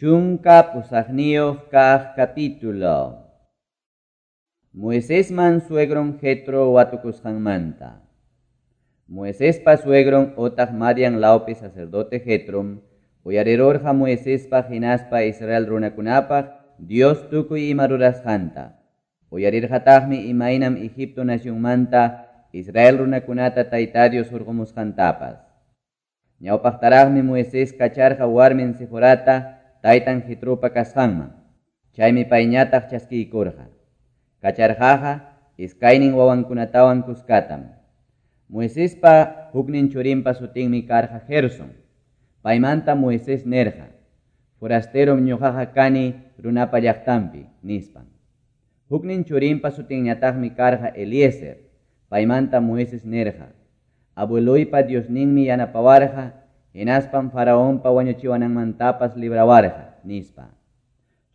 18 kaq capítulo. Moisesman suegron Jetro watukusqanmanta. Moisespa suegron otaq Madian lawpi sacerdote Jetrom uyarirurqa Moisespa hinaspa Israel runakunapaq Dios tukuy ima rurasqanta. Uyarirqataqmi imaynam Egipto nacionmanta Israel runakunata Tayta Dios hurqumusqantapas. Ñawpaqtaraqmi Moisés kacharqa warmin Seforata taytan Jetropa kasqanman. Chaymi payñataq chaskiykurqa. Kacharqaqa iskaynin wawankunatawan kuskatam. Moisespa huknin churinpa sutinmi karqa Gerson. Paymanta Moisés nerqa: "Forasterom ñuqaqa kani runapa llaqtanpi", nispan. Huknin churinpa sutinñataqmi karqa Eliezer. Paymanta Moisés nerqa: "Abueloypa Diosninmi yanapawarqa, hinaspan Faraonpa wañuchiwananmantapas librawarqa", nispa.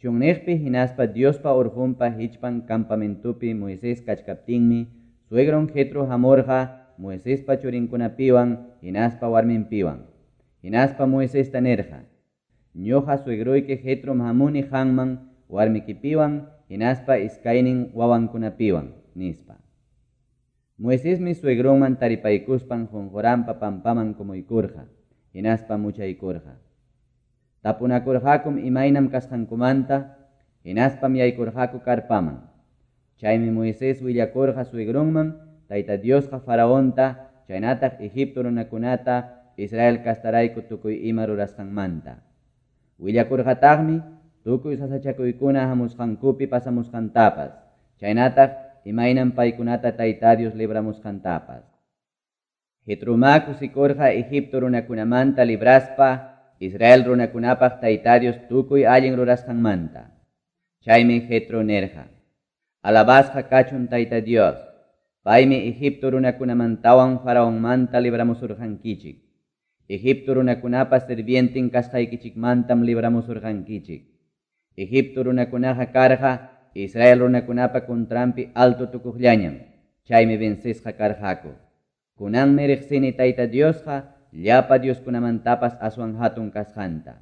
Chunniqpi hinaspa Diospa urqunpa hichpan campamentopi Moisés kachkaptinmi suegron Jetro hamurqa Moisespa churinkunapiwan hinaspa warminpiwan. Hinaspa Moisesta nerqa: "Ñuqa suegroyki Jetrom hamuni qanman warmikipiwan hinaspa iskaynin wawankunapiwan", nispa. Moisesmi suegronman taripaykuspan qunquranpa pampaman kumuykurqa, hinaspa muchaykurqa. Tapunakurqakum imaynam kasqankumanta, hinaspam yaykurqaku karpaman. Chaymi Moisés willakurqa suegronman Tayta Diosqa Faraonta, chaynataq Egipto runakunata Israel kastarayku tukuy ima rurasqanmanta. Willakurqataqmi tukuy sasachakuykuna hamusqankupi pasamusqantapas, chaynataq imaynam paykunata Tayta Dios libramusqantapas. Jetromá kusikurqa Egipto runakunamanta libraspa Israel runakunapaq Tayta Dios tukuy allin rurasqanmanta. Chaymi Jetro nerqa: "Alabasqa kachun Tayta Dios, paymi Egipto runakunamantawan Faraonmanta libramusurqankichik. Egipto runakunapa sirvientin kasqaykichikmantam libramusurqankichik. Egipto runakunaqa karqa Israel runakunapa contranpi alto tukuqllañam, chaymi vencesqa karqaku. Kunanmi riqsini Tayta Diosqa llapa dioskunamantapas aswan hatun kasqanta."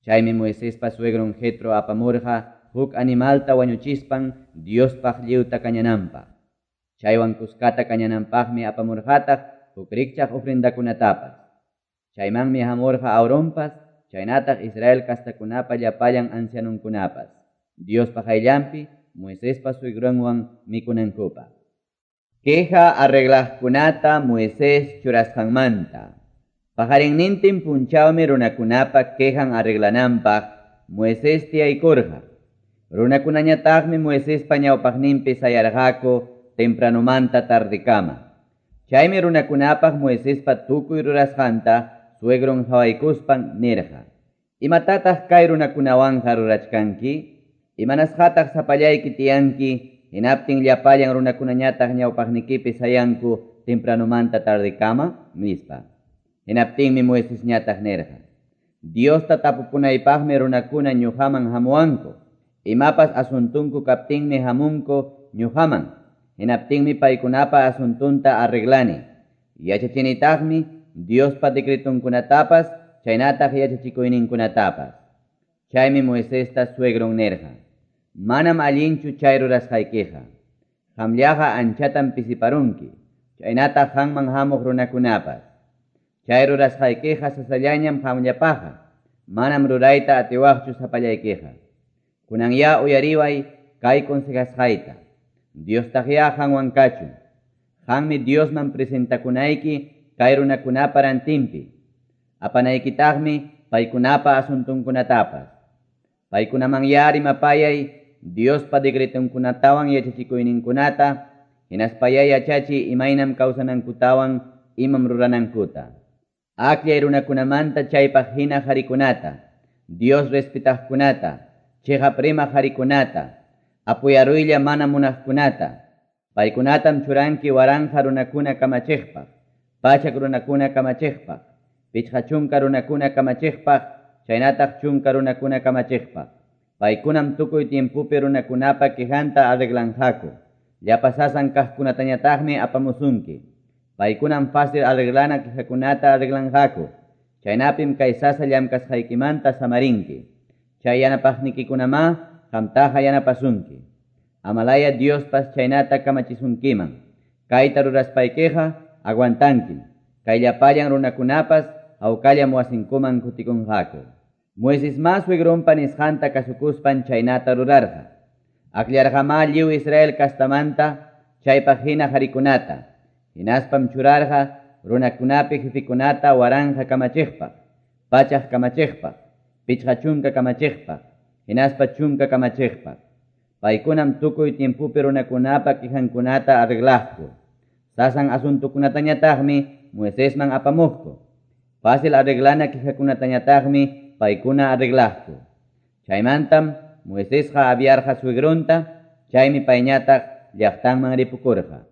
Chaymi Moisespa suegron Jetro apamurqa huk animalta wañuchispan Diospaq lliwta kañananpaq. Chaywan kuskata kañananpaqmi apamurqataq huk rikchaq ofrendakunatapas. Chaymanmi hamurqa Aaronpas, chaynataq Israel kastakunapa llapallan ancianunkunapas, Diospa qayllanpi Moisespa suegronwan mikunankupaq. Queja arreglaqkunata Moisés churasqanmanta. Paqarinnintin punchawmi runakunapa quejan arreglananpaq Moisés tiyaykurqa. Runakunañataqmi Moisespa ñawpaqninpi sayarqaku tempranomanta tardekama. Chaymi runakunapaq Moisespa tukuy rurasqanta suegron hawaykuspan nirqa: "Imatataq kay runakunawanqa rurachkanki? Imanasqataq sapallayki tiyanki, hinaptin llapallan runakunañataq ñawpaqnikipi sayanku tempranomanta tardekama?" nispa. Hinaptinmi Moisesñataq nirqa: "Diosta tapupunaypaqmi runakuna ñuqaman hamuwanku. Imapas asuntunku kaptinmi hamunku ñuqaman. Hinaptinmi paykunapa asuntunta arreglani. Yachachinitaqmi Diospa decretunkunatapas, chaynataq yachachikuyninkunatapas." Chaymi Moisesta suegron nirqa: "Manam allinchu chay rurasqaykiqa. Qamllaqa anchatam pisiparunki, chaynataq qanman hamuq runakunapas. Chay rurasqaykiqa sasallañam qamllapaqqa, manam rurayta atiwaqchu sapallaykiqa. Kunanya uyariway kay consejasqayta. Diostaqya qanwan kachun. Qanmi Diosman presentakunayki kay runakunapa rantinpi. Apanaykitaqmi paykunapa asuntunkunatapas. Paykunamanya rimapayay Diospa decretunkunatawan yachachikuyninkunata, hinaspayay yachachi imaynam kawsanankutawan imam ruranankuta. Akllay runakunamanta chaypaq hina qharikunata, Dios respetaqkunata, chiqap rimaq qharikunata, apuyaruylla mana munaqkunata. Paykunatam churanki waranqa runakuna kamachiqpaq, pachak runakuna kamachiqpaq, 50 runakuna kamachiqpaq, chaynataq 10 runakuna kamachiqpaq. Paykunam tukuy tiempopi runakunapa quejanta arreglanqaku. Llapa sasan kaqkunatañataqmi apamusunki. Paykunam fácil arreglana quejakunata arreglanqaku. Chaynapim kay sasa llamkasqaykimanta samarinki. Chay yanapaqnikikunamá qamtaqa yanapasunki. Amalaya Diospas chaynata kamachisunkiman. Kayta ruraspaykiqa aguantankim. Kay llapallan runakunapas hawkallam wasinkuman kutikunqaku. Moisesmá suegronpa nisqanta kasukuspan chaynata rurarqa. Akllarqamá lliw Israel castamanta chaypaq hina qarikunata. Hinaspam churarqa runakunapi jefekunata 1000 kamachiqpaq, 100 kamachiqpaq, 50 kamachiqpaq, hinaspa 10 kamachiqpaq. Paykunam tukuy tiempopi runakunapa quejankunata arreglaqku. Sasan asuntokunatañataqmi Moisesman apamuqku. Fácil arreglana quejakunatañataqmi paykuna arreglaqku. Chaymantam Moisesqa aviarqa suegronta, chaymi payñataq llaqtanman ripukurqa.